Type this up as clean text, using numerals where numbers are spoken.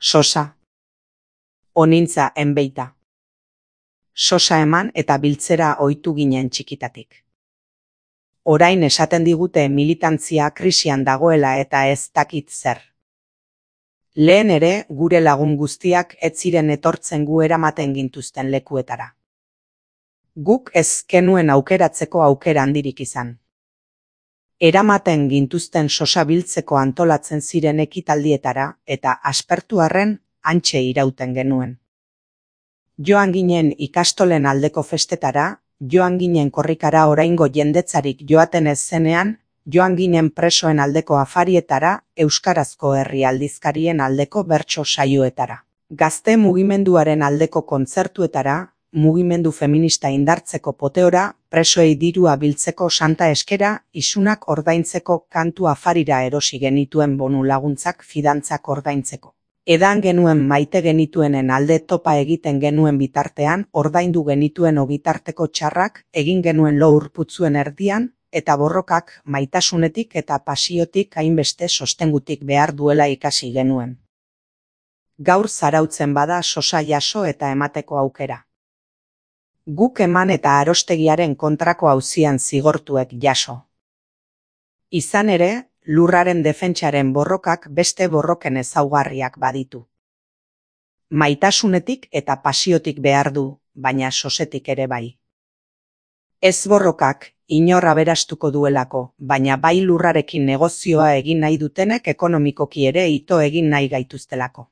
Sosa. Onintza enbeita. Sosa eman eta biltzera ohitu ginen txikitatik. Orain esaten digute militantzia krisian dagoela eta ez dakit zer. Lehen ere, gure lagun guztiak ez ziren etortzen gu eramaten gintuzten lekuetara. Guk ez genuen aukeratzeko aukera handirik izan. Eramaten gintuzten sosa biltzeko antolatzen ziren ekitaldietara eta aspertu arren hantxe irauten genuen. Joan ginen ikastolen aldeko festetara, joan ginen korrikara oraingo jendetzarik joaten ez zenean, joan ginen presoen aldeko afarietara, euskarazko herri aldizkarien aldeko bertso saioetara. Gazte mugimenduaren aldeko kontzertuetara, mugimendu feminista indartzeko poteora, presoei dirua biltzeko santa eskera, isunak ordaintzeko kantu afarira erosi genituen bonu laguntzak fidantzak ordaintzeko. Edan genuen maite genituenen alde topa egiten genuen bitartean, ordaindu genituen ogitarteko txarrak, egin genuen lo urputzuen erdian, eta borrokak maitasunetik eta pasiotik hainbeste sostengutik behar duela ikasi genuen. Gaur zarautzen bada sosa jaso eta emateko aukera. Guk eman eta arostegiaren kontrako auzian zigortuek jaso. Izan ere, lurraren defentsaren borrokak beste borroken ezaugarriak baditu. Maitasunetik eta pasiotik behar du, baina sosetik ere bai. Ez borrokak inor aberastuko duelako, baina bai lurrarekin negozioa egin nahi dutenek ekonomikoki ere ito egin nahi gaituztelako.